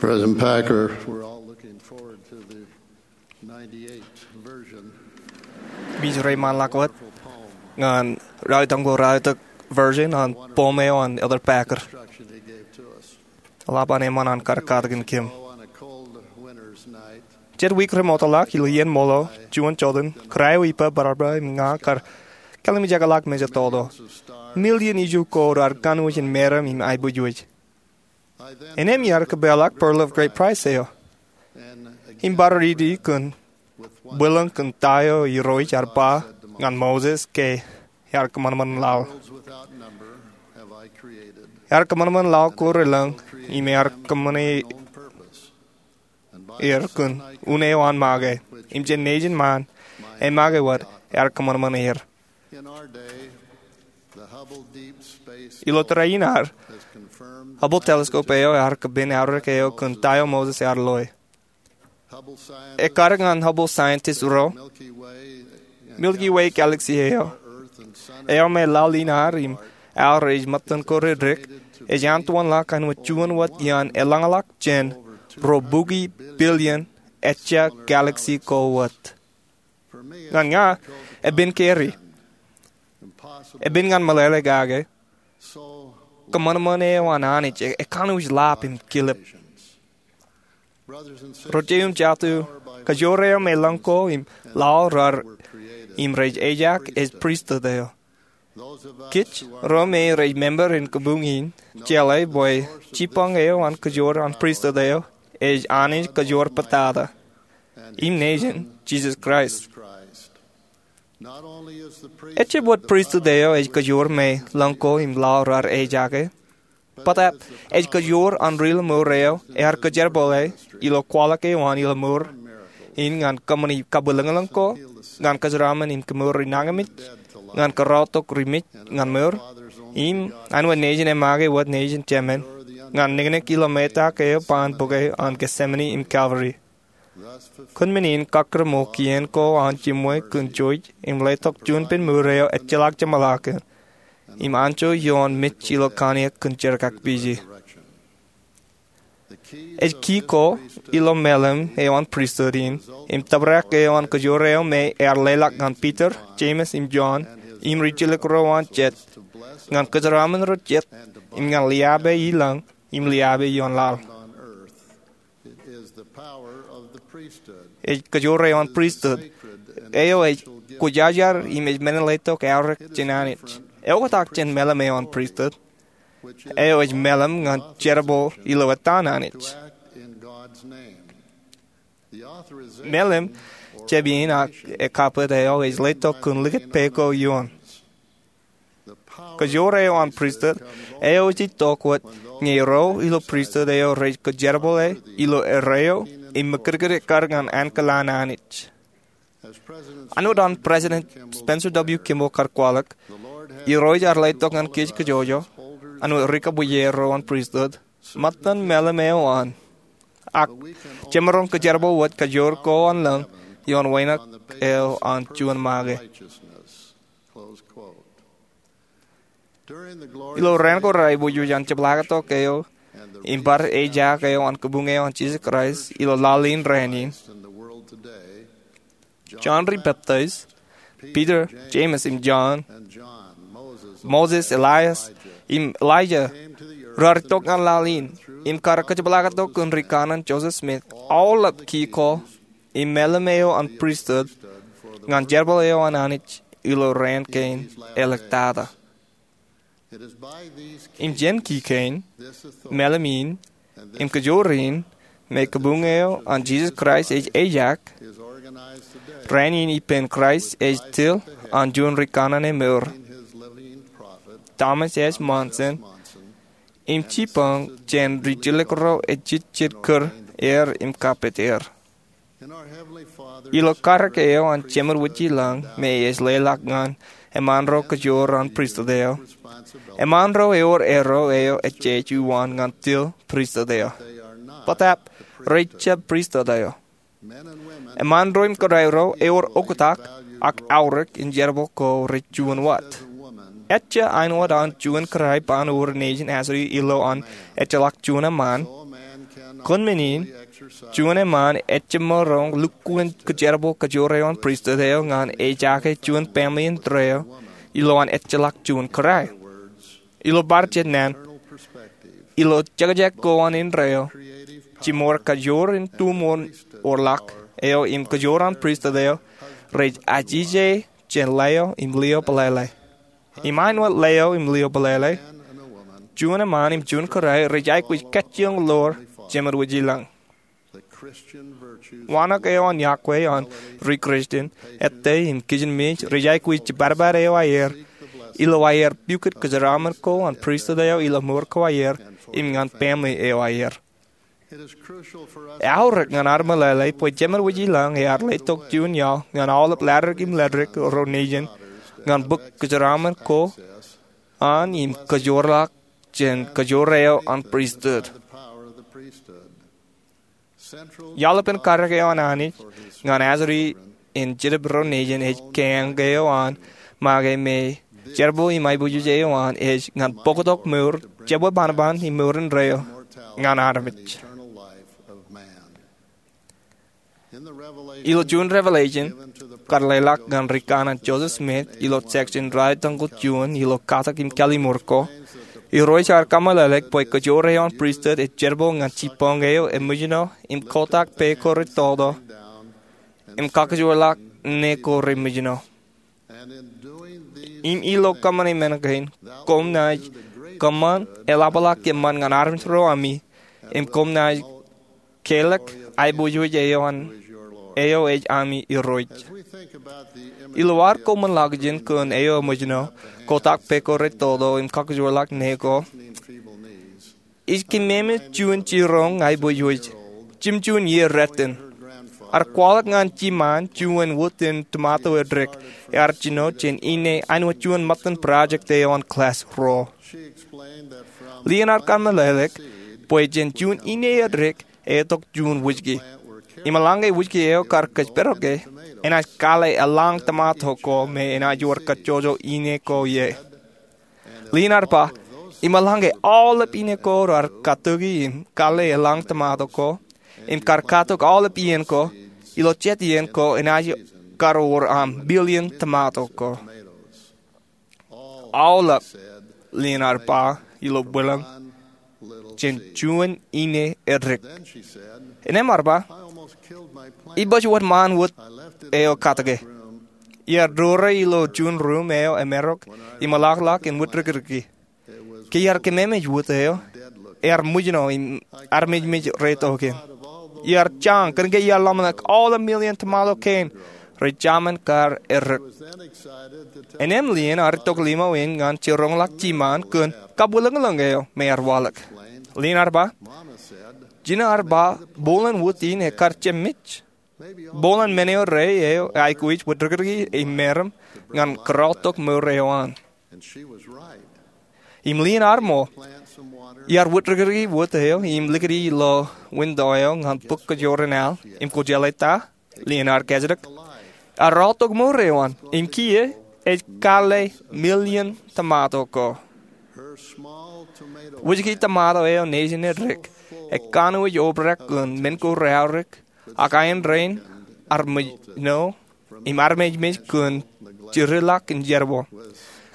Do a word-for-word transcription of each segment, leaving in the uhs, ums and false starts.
President Packer, we're all looking forward to the ninety-eight version. Im ij reiṃaanḷọk wōt ñan ralitōk ko ralitōk version an poem eo an Elder Packer. Instruction he gave to us. Eḷap an eṃṃan an kar katakin kōm. On a cold winter's night, Jet wiik remootḷọk ilo iien ṃool eo, juon jotein, kōrā eo ippā bōrabōr im ña kar kallimjekḷọk mejatoto. Million iju ko raar kanooj in meram im aiboojoj. Innām iar kōpeḷḷọk Pearl of Great Price eo im bar riiti kōn bwilōñ kōn ta eo Irooj ear ba ñan Moses ke ear kōṃanṃan laḷ. Ear kōṃanṃan laḷ ko relōñ im ear kōṃṃane er kōn un eo an make. Im jān nejin ṃaan, emake wōt, ear kōṃanṃan er. Ilo tōre in ad, Hubble telescope eo ear kōpin aorōk eo kōn ta eo Moses ear loe. Ekkar ñan Hubble scientist ro, Milky Way galaxy eo, eo me laḷ in ad im aor ej ṃōttan ko reddik, ej antowanḷọk āinwōt juon wōt iaan eḷañḷọk jān ruo bukwi billion ejja galaxy ko wōt. Ñan ña, epen carry. Epen ñan meḷeḷe kake. Kōṃanṃan eo an Anij e, ekanooj lab im kilep. Ro jeiū im jatū, kajoor eo me lōñ ko im laḷ raar im rej ejak ej pristut eo. Kij ro me rej member in kabuñ in jeḷā bwe jibboñ eo an kajoor an pristut eo ej Anij kajoor bōtata im nejin, Jisōs Kraist. Ejjab wōt pristut eo ej kajoor me lōñ ko im laḷ raar ejake, bōtab ej kajoor an ri-lọmọọr eo ear kōjerbale ilo kwaḷọk eo an ilọmọọr in ñan kōṃṃani kabwilōñlōñ ko, ñan kōjeraaṃṃan im kemour ri nañinmej, ñan kōrọọltok ri mej ñan mour, im āinwōt nejin emake wōt nejin Jemān, ñan niknik ilo metak eo baan bōke an Getsemane im Calvary. Kōn men in kōkkure ṃōk kien ko an jiṃwe kōn jouj im letok juon pen mour eo ejjeḷọk jeṃḷọkin im anjọ ioon mej ilo kanniōk kōn jerkakpije. Ej key ko ilo meḷeḷe eo an pristut in im tōprak eo an kajoor eo me ear leḷọk ñan Peter, James im John im ri-jilkinḷọk ro an jet ñan kōjeraaṃṃan ro jet im ñan liabe ilọñ im liabe ioon laḷ. Ej kajoor eo an pristut eo ej kwōjarjar im ej men in letok aorōk jān Anij. Eoktak jān meḷeḷe eo an pristut eo ej meḷeḷe ñan jerbal ilo ettaan Anij. Meḷeḷe jab in ak ekabwit eo ej letok kōn likūt pā ko ioon. Kajoor eo an pristut eo ej itok wōt ñe ro ilo pristut eo rej kōjerbale ilo erreo im ṃōkūtkūt ekkar ñan ankilaan Anij. Āinwōt an President Spencer W. Kimball kar kwaḷọk, Irooj ear letok ñan kōj kajjojo, āinwōt ri-kōpooj ro an pristut, ṃōttan meḷeḷe eo an, ak jemaroñ kōjerbal wōt kajoor ko an lōñ ioon wānōk eo an juon make. Ilo raan ko reaiboojoj an jepḷaaktok eo im bar ejak eo an kabuñ eo an Jisōs Kraist ilo laḷ in raan in, Jon Ri-peptaij, Peter, James im John, Moses, Elias, im Elijah raar itok ñan laḷ in im kar kōjepḷaaktok kōn Ri-Kanaan Joseph Smith, aolep key ko im meḷeḷe eo an pristut ñan jerbal eo an Anij ilo raan kein āliktata. Im jān key kein, meḷeḷe in, im kajoor in, me kabuñ eo an Jisōs Kraist ej ejak, raan in ippān Kraist ej til an juon ri-kanaan emour, Thomas S. Monson, im jibboñ jān ri-jilkinḷọk ro ejejjet kūr er im kapit er. Ilo karōk eo an Jemān wūjilōñ me ej leḷọk ñan eṃṃaan ro kajoor an pristut eo, eṃṃaan ro ewōr erro eo ejjeḷọk uwaan ñan til pristut eo. Bōtab rej jab pristut eo. Eṃṃaan ro im kōrā ro ewōr oktak ak aorōk in jerbal ko rej juon wōt. Ejja āinwōt an juon kōrā baan wōr nejin asodi ilo an ejjeḷọk juon eṃṃaan, Kōn men in, juon eṃṃaan ejjab maroñ lukkuun kōjerbal kōjoor eo an pristut eo ñan ejaake juon family indeeo ilowaan ejjeḷọk juon kōrā. Ilo bar jet naan, ilo jekjek ko an indeeo, jimor kajoor in tuṃoor orḷọk eo im kōjoor an pristut eo rej ajije jān leo im lio pālele. Im āinwōt leo im lio pālele, juon eṃṃaan im juon kōrā rej aikuj kajjioñ ḷoor jemed wōj ilañ. Waanōk eo an yokwe an ri-Christian, ettā im kijenmej rej aikuj jibadbad eo aer ilo aer pukot kōjeraaṃṃan ko an pristut eo ilo mour ko aer im ñan family eo aer. Eaorōk ñan ad meḷeḷe bwe jemed wōj ilañ ear letok juon iaḷ ñan aolep latdikdik im latdikdik ro nejin ñan bōk kōjeraaṃṃan ko an im kōjoorḷọk jān kōjoor eo an pristut. Iaḷ epen karōk eo an Anij ñan ajri in jetōb ro nejin ej keañ eo an make me jerbal im aiboojoj eo an ej ñan bōktok mour jebwe banban im mour indeeo ñan armej. Ilo juon Revelation kar leḷọk ñan ri-kanaan Joseph Smith ilo section ralitōñḷọk juon ilo katak im kallimur ko, Irooj ear kōmeḷeḷeik bwe kōjoor eo an pristut ej jerbal ñan jibboñ eo emōjṇọ im kotak pā ko retoto im kakōjorḷọk ṇe ko remōjṇọ. Im ilo kōṃṃane men kein, koṃ naaj kōṃṃan eḷapḷọk eṃṃan ñan armej ro ami, im koṃ naaj kelọk aiboojoj eo an, eo ej ami Irooj. Ilo ad koṃṃan ḷọk jān kōn eo emōjṇọ, kotak pā ko retoto im kakōjorḷọk ṇe ko, ij kememej juon jiroñ aiboojoj. Jimjuon iiō rot in, ear kwaḷọk ñan jiṃaan juon wūtin tomato edik ear jino jān ine āinwōt juon ṃōttan project eo an class ruo. Lien ear kōmeḷeḷeik bwe jān juon ine edik etok juon wūjki. Im eḷaññe wūjki eo kar kōjparoke, enaaj kalle eḷaññe tomato ko me enaaj wōr kajjojo ine ko ie. Lien ear ba, im eḷaññe aolep ine ko raar katuki im kalle eḷaññe tomato ko, im kar katok aolep iien ko, ilo jet iien ko enaaj kar wōr aṃ billion tomato ko. Aolep, lien ear ba ilo bwilōñ, jān juon ine edik. Innām ear ba, ibaj wōt ṃaan wōt eo katuke. Iar dore ilo juon ruum eo emarok im eḷapḷọk in wūtdikdiki. Ke iar kememej wōt eo, ear mōjṇọ im armejmej retok in. Iar jañ kōn ke iar ḷōmṇak aolep million tomato kein rej jaṃin kar edik. Innām lien ear itok limo in ñan jiroñḷọk jiṃaan kōn kabwilōñlōñ eo me ear waḷọk. Lien ear ba, jino ear ba, bōlen wōt in ekar jemej. Bōlen men eo rā eo eaikuj wūtdikdiki im meram ñan kōrọọltok mour eo an. Im lien ear ṃool. Iar wūtdikdiki wōt eo im likūti ilo winto eo ñan bōk kōjwōr in al im kwō jeḷā ta? Lien ear kajjitōk. Ear rọọltok mour eo an im kiiō ej kalle million tomato ko. Wūjki tomato eo nejin edik ekanooj obrak kōn men ko reaorōk, ak aendein ear mōjṇọ im armejmej kōn jirilọk in jerbal.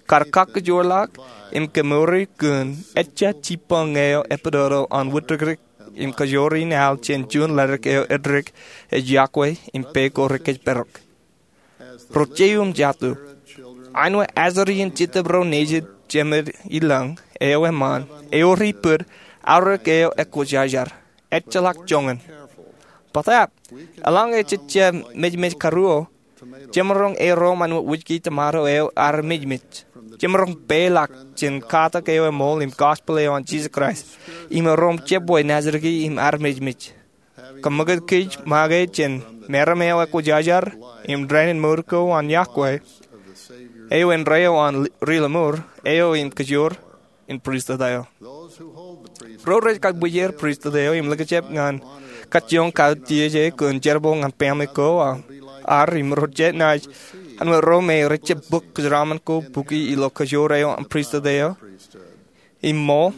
Kar kakkōjorḷọk im kemour kōn ejja jibboñ eo epatoto an wūtdikdik im kōjwōr in al jān juon ledik eo edik ej yokwe im pā ko rekōjparok. Ro jeiū im jatū, āinwōt ajri in jetōb ro nejid jemed ilañ eo eṃṃan, ewōr ipōd aorōk eo ekwōjarjar, ejjeḷọk joñan. Bōtab, eḷaññe jej jab mejmej karuo, jemaroñ erom āinwōt wūjki tomato eo armejmej. Jemaroñ peḷọk jān katak eo eṃool im gospel eo an Jisōs Kraist, im erom jebwe naajdik im armejmej. Kōṃṃakūt kōj make jān meram eo ekwōjarjar im dān in mour ko an yokwe, eo indeeo an ri-lọmọọr eo im kōjwōr in pristut eo. Ro rej kab bwijer pristut eo im likjab ñan kajjioñ kautiej e kōn jerbal ñan family ko ad im ro jab naaj āinwōt ro me rej jab bōk kōjeraaṃṃan ko bukwi ilo kōjwōr eo an pristut eo im ṃool,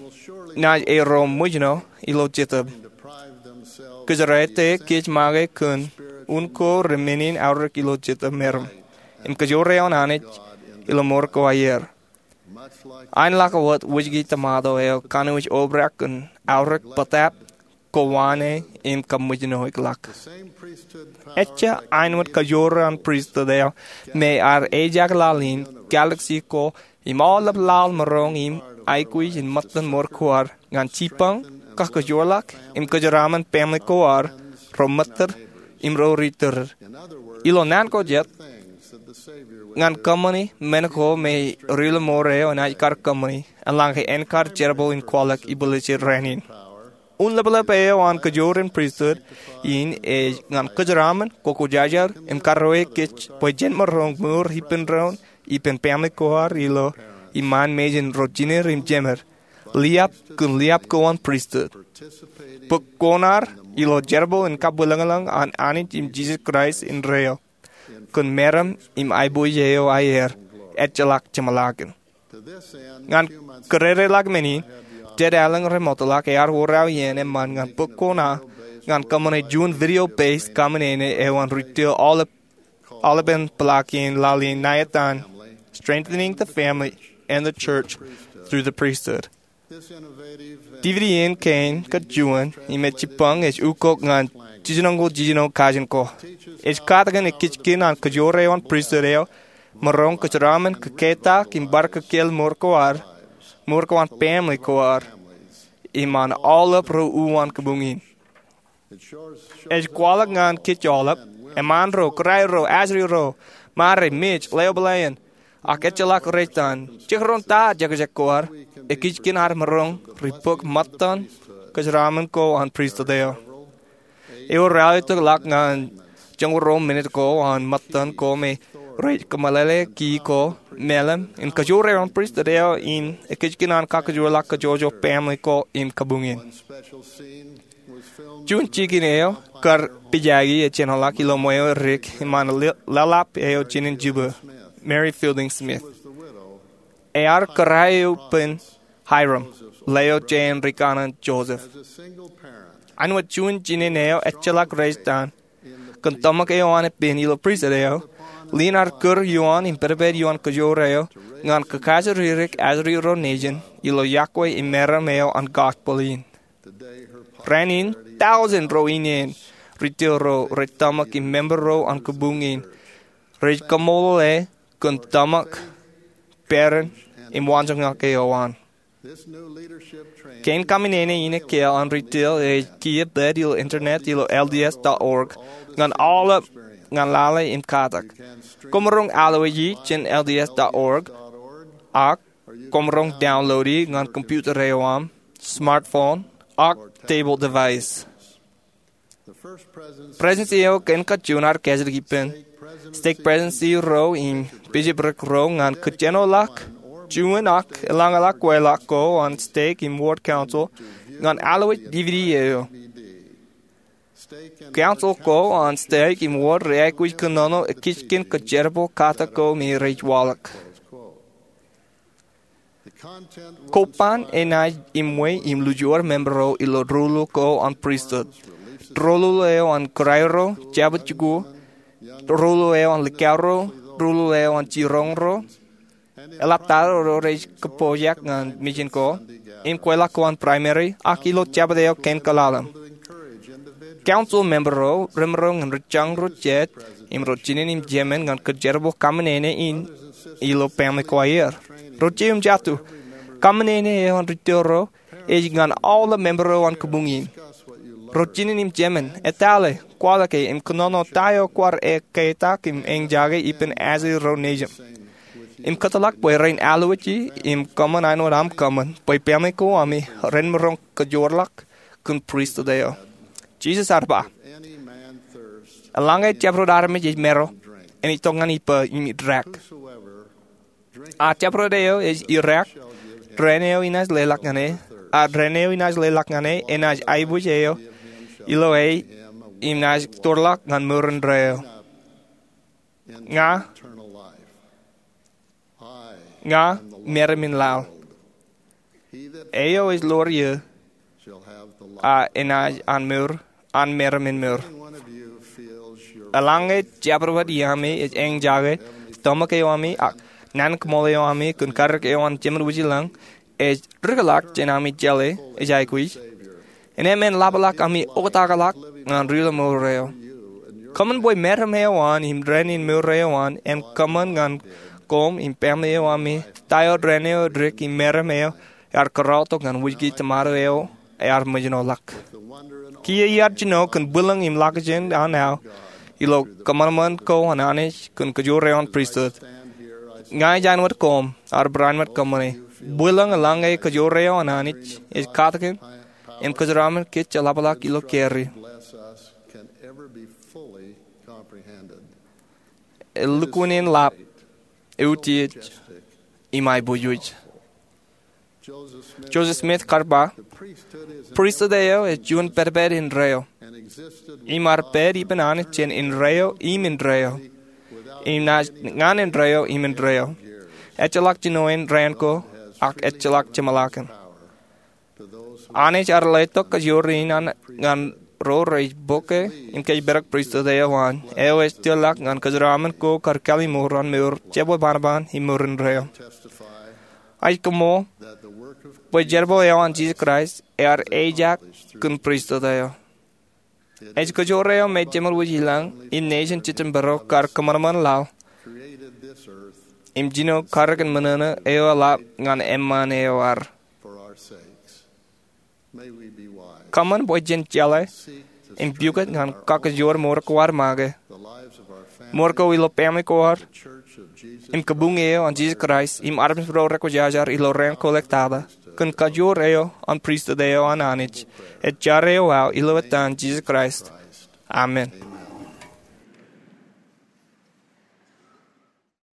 naaj erom mōjṇọ ilo jetōb. Kōjeraete kōj make kōn un ko remenin aorōk ilo jete meram im kōjoor eoon Anij ilo mour ko aer. Aenḷọk wōt wōjke tōmato eo kanooj obrak kōn aorōk bōtap, kowaan e im kaṃōjṇọ ḷọk. Ejja āinwōt kajoor an pristut eo me ear ejaak laḷ in, galaksi ko im aolep laḷ maroñ im aikuj in ṃōttan mour ko ad ñan jipañ, kakajoorḷọk im kōjeraaṃṃan family ko ad, ro ṃōttōr im ro ri tōrōr. Ilo naan ko jet, ñan kōṃṃani men ko me ri-mour eo enaaj kar kōṃṃani, eḷaññe en kar jerbal in kwaḷọk ibwiljel rainin. Un ḷapḷap eo an kajoor in pristut in ej ñan kōjeraaṃṃan, kokojajar im karreoik kōj bwe jen maroñ mour ippān doon ippān family ko ad ilo iṃaan mejān ro jined im jemed, liab kōn liab ko an pristut, bōk kuṇaar ilo jerbal in kabwilōñlōñ an Anij im Jisōs Kraist indeeo kōn meram im aiboojoj eo aer, ejjeḷọk jeṃḷọkin. Ñan kōrōreḷọk men in, jet aelōñ remootḷọk ear wōr aō iien eṃṃan ñan bōk kuṇaar ñan kōṃṃane juon video-based kaṃōṇōṇō eo an ri-tōl aolepān peḷaakin laḷ in ṇa etan Strengthening the Family and the Church Through the Priesthood. D V D in kein kōn juon im ej jipañ ej ukok ñan jiljinoñoul jiljino kajin ko. Ej katakin ekijkin an kajoor eo an pristut eo maroñ kōjeraaṃṃan, kōketak im bar kōkeel mour ko ad, mour ko an family ko ad, im an aolep ro uwaan kabuñ in. Ej kwaḷọk ñan kōj aolep, eṃṃaan ro, kōrā ro, ajri ro, ṃare, mej, ḷeo bōlāān, ak ejjeḷọk rej itan, jekdọọn ta jekjek ko ad, ekijkin ad maroñ ri-bōk ṃōttan kōjeraaṃṃan ko an pristut eo. Ewōr ralitōkḷọk ñan joñoul ruo minit ko an ṃōttan ko me rej kōmeḷeḷe ki ko, meḷeḷe in kajoor eo an pristut eo im ekijkin an kakajoorḷọk kōjwōjwōj family ko im kabuñ in. Juon jikin eo kar pijaki ej jenoḷọk ilo ṃweo dik iṃaan laḷap eo jinen Juba, Mary Fielding Smith. Ear kōrā eo ippān Hyrum, ḷeo jān ri kanaan Joseph. Āinwōt juon jinen eo ejjeḷọk rej itan, kōn tōmak eo an ippān ilo pristut eo, ḷein ad kūr ioon im pedped ioon kajoor eo ñan kakajoor ri-dik ajri ro nejin ilo yokwe im meram eo an gospel in. Rainin, tọujin ro ineen ri-tōl ro rej tōmak im member ro an kabuñ in rej kaṃṃoolol e kōn tōmak, peran, im waanjoñak eo an. Kein kaṃōṇōṇō in ekkā an ri-tōl ej kiiō pād ilo internet ilo L D S dot org ñan aolep ñan lale im katak. Koṃ maroñ alwōji jān L D S dot org, ak koṃ maroñ download e ñan computer eo aṃ, smartphone, ak table device. Presidency eo kein kajjien ad kajjitōk ippān, stake presidency ro im bishopric ro ñan kajjinoḷọk juon ak eḷaññe ḷọk kweilọk ko an stake im ward council ñan alwōj D V D eo. Council ko an stake im ward rej aikuj kōnono ekijkin kōjerbal katak ko me rej waḷọk. Koban enaaj iṃwe im lujuor member ro ilo doulul ko an pristut. Doulul eo an kōrā ro, jabdewōt jikuuḷ, doulul eo an likao ro, doulul eo an jiroñ ro, eḷaptata ro rej kōpooj ñan mejān ko, im kweilọk ko an primary, ak ilo jabdewōt eo kein kōḷḷāḷḷaḷ. Council member ro remaroñ in ri jañ ro jet im ro jinen im jemān ñan kōjerbal kaṃōṇōṇō in ilo family ko aer. Ro jeiū im jatū, kaṃōṇōṇō eo an ri-tōl ro ej ñan aolep member ro an kabuñ in. Ro jinen im jemān, etale, kwaḷọke im kōnono ta eo kwaar ekketak im eñjake ippān ajri ro nejin. Im kōtḷọk bwe ren alwōji im kōṃṃan āinwōt aṃ kōṃṃan bwe family ko ami ren maroñ kōjoorḷọk kōn pristut eo. Jisōs ear ba, eḷaññe jabdewōt armej ej maro, en itok ñan ippa im idaak. A jabdewōt eo ej idaak, dān eo inaaj leḷọk ñan e, a dān eo inaaj leḷọk ñan e enaaj aiboojoj eo ilo e im naaj tōrḷọk ñan mour indeeo. Ña, ña meram in laḷ. Eo ej ḷoor eō, a enaaj an mour an meram in mour. Eḷaññe jabdewōt iaami ej eñjake, tōmak eo ami, ak naan kōṃṃool eo ami kōn karōk eo an Jemān Wūjlañ ej rūkḷọk jān ami jeḷā ej aikuj, innām en ḷapḷọk ami oktakḷọk ñan ri-mour eo. Kōṃṃan bwe meram eo an im dān in mour eo an en kōṃṃan ñan koṃ im family eo ami ta eo dān eo dik im meram eo ear kōrọọltok ñan wūjke tomato eo ear mejānḷọk. Kiiō iar jino kōn bwilōñ im ḷakjān an aō ilo kōṃanṃan ko an Anij kōn kajoor eo an pristut. Ña ij āinwōt koṃ, ad barāinwōt kōṃṃane. Bwilōñ eḷaññe kajoor eo an Anij ej katakin im kōjeraṃṃan kōj jeḷapḷọk ilo kōjro. Elukkuun in ḷap, eutiej, im aiboojoj. Joseph Smith ear ba, pristut eo ej juon pedped indeeo, im ear pād ippān Anij jān indeeo im indeeo, im naaj ñan indeeo im indeeo. Ejjeḷọk jinoin raan ko, ak ejjeḷọk jeṃḷọkin. Anij ear letok kajoor in an ñan ro rej bōke im kōjparok pristut eo an, eo ej tōrḷọk ñan kōjeraṃṃan ko kar kālimour an mour jebwe baan ban im mour indeeo. Ij koṃṃool bwe jerbal eo an Jisōs Kraist ear ejaak kōn pristut eo. Ej kajoor eo me Jemān Wūjlañ im nejin jitōnbōro kar kōṃanṃan laḷ im jino karōk in mōṇōṇō eo eḷap ñan eṃṃaan eo ad. Kōṃṃan bwe jen jeḷā im pukot ñan kakajoor mour ko ad make, mour ko ilo family ko ad, im kabuñ eo an Jisōs Kraist im armej ro rekwōjarjar ilo raan ko ḷọk tata, kōn kajoor eo an pristut eo an Anij. Ij jar eo aō ilo etan Jisōs Kraist, amen.